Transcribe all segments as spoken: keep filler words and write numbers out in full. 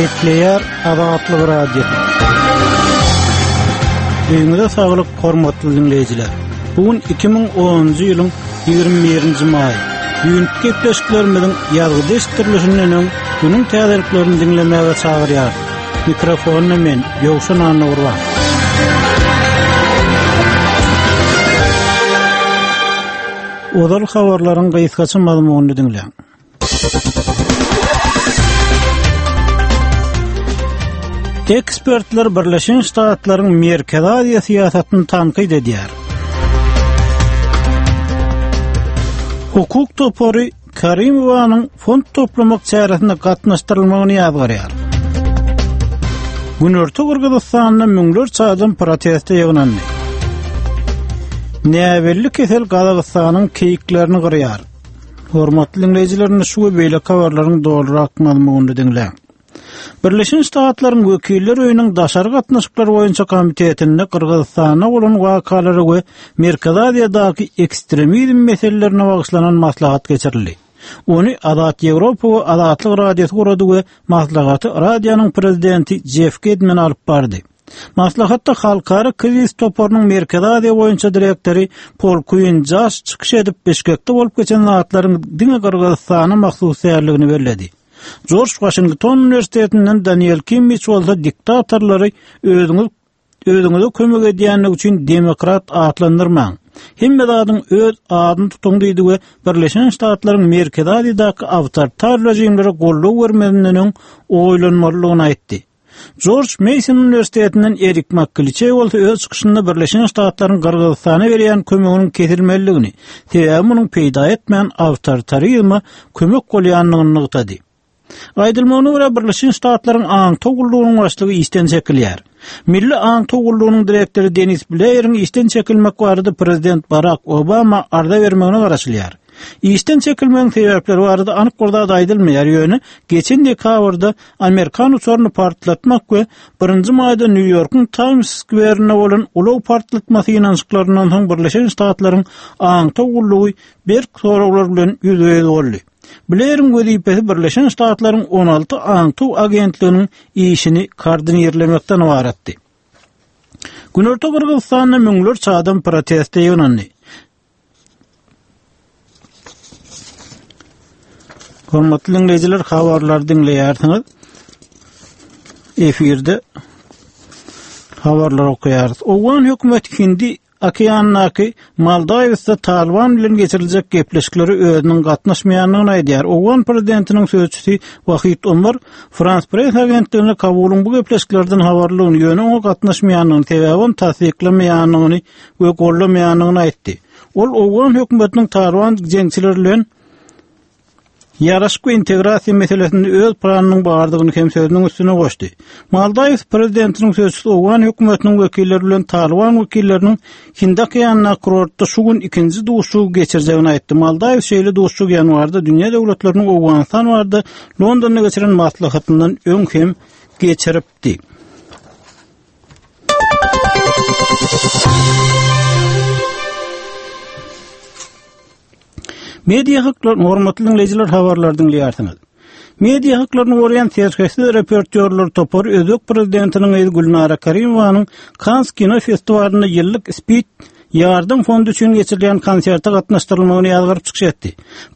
Gepleýär Azatlyk Radiosy. Öýüňize saglyk, hormatly diňleýjiler. Bu gün iki müň onunjy ýylyň ýigrimi birinji maýy. Düýnki gepleşiklerimiziň ýazgyda eşitdirilişinden öň günüň täzeliklerini diňlemäge çagyrýarys. Mikrofonda men, Ýowşan Annagurban. Ozal habarlaryň gysgaça mazmunyny diňläň. Ekspertler Birleşen Ştatlaryň Merkezi Aziýa syýasatyny tankyt edýär. Hukuk topary Karimowanyň fond toplamak çäresine gatnaşdyrylmagyny ýazgarýar. Günorta Gyrgyzystanda müňlerçe adam proteste ýygnandy. Näbelli kesel Gazagystanyň keýiklerini gyrýar. Hormatly diňleýjiler, indi şu we beýleki habarlaryň dolurak mazmunyny diňläň. Birleşen Ştatlaryň Wekiller öýüniň daşary gatnaşyklar boýunça komitetinde Gyrgyzystanda bolan wakalara we Merkezi Aziýadaky ekstremizm meselelerine bagyşlanan maslahat geçirildi. Ony Azat Ýewropa we Azatlyk Radiosy gurady we maslahaty radionyň prezidenti Jeff Gedman alyp bardy. Maslahatda Halkara krizis toparynyň Merkezi Aziýa boýunça direktory Pol Kuin Jaş çykyş edip, Bişkekde bolup geçen zatlaryň diňe Gyrgyzystana mahsus däldigini belledi. Jorj Waşington uniwersitetinden Daniel Kimmiç bolsa diktatorlary özüňiz, özüňize kömek edýänligi üçin demokrat atlandyrmaň. Hemme zadyň öz adyny tutuň diýdi we Birleşen Ştatlaryň Merkezi Aziýadaky awtoritar režimlere goldaw bermezinden öň oýlanmalydygyny aýtdy. Jorj Mason uniwersitetinden Erik Makkiliçeý bolsa öz çykyşynda Birleşen Ştatlaryň Gyrgyzystana berýän kömeginiň kesilmelidigini, sebäbi munuň peýda etmän awtoritarizme kömek bolýandygyny nygtady. Aýdylmagyna görä, Birleşen Ştatlaryň aňtaw gullugynyň başlygy işden çekilýär. Milli aňtaw gullugynyň direktory Denis Bleýeriň işden çekilmek barada prezident Barak Obama arza bermegine garaşylýar. Işden çekilmegiň sebäpleri barada anyk bir zat aýdylmaýar, ýöne geçen dekabrda Amerikan uçaryny partlatmak we birinji maýda Nýu-Ýorkuň Times Square-inde bolan ulag partlatma synanyşyklaryndan soň Birleşen Ştatlaryň aňtaw gullugy berk soraglar bilen ýüzbe-ýüz boldy. Bleýeriň wezipesi Birleşen Ştatlaryň on alty aňtaw agentliginiň işini koordinirlemekden ybaratdy. Günorta Gyrgyzystanda müňlerçe adam proteste ýygnandy. Hormatly diňleýjiler, habarlary diňleýärsiňiz. Efirde habarlar okaýarys. Owgan hökümeti Hindi okeandaky Maldiwsda Taliban bilen geçiriljek gepleşiklere özüniň gatnaşmaýandygyny aýdýar. Owgan prezidentiniň sözçüsi Wahid Omar Frans Press agentligine Kabulyň bu gepleşiklerden habarlydygyny, ýöne oňa gatnaşmaýandygyny, sebäbi ony tassyklamaýandygyny we gollamaýandygyny aýtdy. Ol Owgan hökümetiniň Taliban jeňçileri bilen ýaraşyk we integrasiýa meselesinde öz planynyň bardygyny hem sözüniň üstüne goşdy. Maldiws prezidentiniň sözçüsi Owgan hökümetiniň wekilleri bilen Taliban wekilleriniň Hindi okeanyndaky kurortda şu gün ikinji duşuşygy geçirjegini aýtdy. Maldiws şeýle duşuşygy ýanwarda dünýä döwletleriniň Owganystan barada Londonda geçiren maslahatyndan öň hem geçiripdi. Media haklaryny hormatly diňleýjiler habarlary diňleýärsiňiz. Media haklaryny goraýan serhetsiz reportýorlar topary Özbek prezidentiniň gyzy Gülnara Karimowanyň Kans kino festiwalynda ýyllyk Speed ýardam fondy üçin geçirilýän konserte gatnaşdyrylmagyny ýazgaryp çykyş etdi.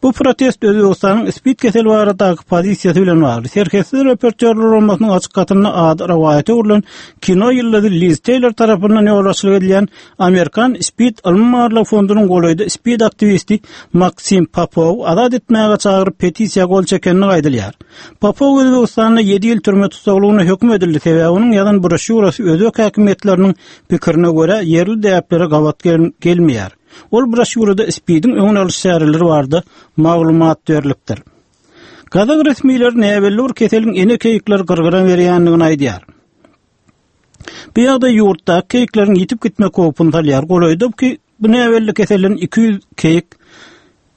Bu protest Özbegistanyň Speed keseli baradaky pozisiýasy bilen bagly. Serhetsiz reportýorlar guramasynyň açyk hatynda ady rowaýata öwrülen kino ýyldyzy Liz Taylor tarapyndan ýolbaşçylyk edilýän Amerikan Speed ylmy barlag fondunyň golaýda Speed aktiwisti Maksim Popow azat etmäge çagyryp petisiýa gol çekenini aýdylýar. Popow Özbegistanda ýedi ýyl türme tussaglygyna höküm edildi, sebäbi onuň ýazan broşýurasy özbek häkimiýetleriniň pikirine görä ýerli däplere gabat gel-, gelmeýär. Ol broşýurada Speediň öňüni alyş çäreleri barada maglumat berlipdir. Gazak resmileri näbelli bir keseliň ene keýikleri gyrgyra berýändigini aýdýar. Bu ýagdaý ýurtdaky keýikleriň ýitip gitmek howpuny salýar. Golaýda ki bu näbelli keselden iki ýüz keýik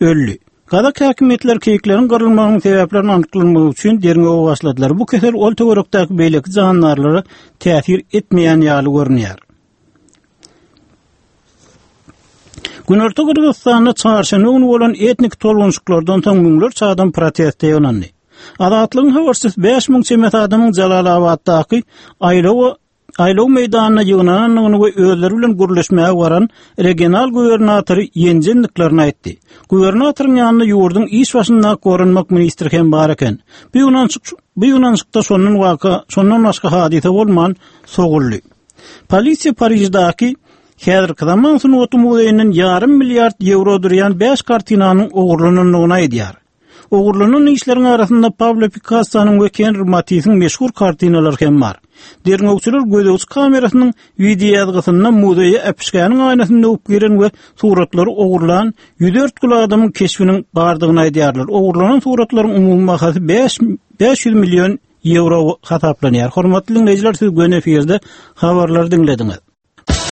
öldi. Gazak häkimiýetleri keýikleriň gyrylmagynyň sebäplerini anyklamak üçin derňewe başladylar. Bu kesel ol töwerekdäki beýleki jandarlara täsir etmeýän ýaly görünýär. Günorta Gyrgyzystanda çarşenbe güni bolan etnik tolgunşyklardan soň müňlerçe adam proteste ýygnandy. Azatlygyň habarçysy bäş müň çemesi adamyň Jalalabatdaky aýlawa aýlaw meýdanyna ýygnanandygyny we özleri bilen gürleşmäge baran regional gubernatory ýenjendiklerini aýtdy. Gubernatoryň ýanynda ýurduň iş başyndaky goranmak ministri hem bar eken. Bu ýygnanyşyk bu ýygnanyşykda şondan waka şondan başga hadysa bolman soguldy. Polisiýa Pariždäki häzirki zaman sungaty muzeýinden ýarym milliard ýewro durýan bäş kartinanyň ogurlanandygyny aýdýar. Ogurlanan işleriň arasynda Pablo Pikassonyň we Henri Matisiň meşhur kartinalary hem bar. Derňewçiler gözegçi kamerasynyň wideoýazgysynda muzeýe äpişgäniň aýnasyny döwüp giren we suratlary ogurlan ýüz dört gül adamyň keşbiniň bardygyny aýdýarlar. Ogurlanan suratlaryň umumy bahasy bäş bäş ýüz million ýewro hasaplanýar. Hormatly diňleýjiler, siz göni efirde habarlary diňlediňiz.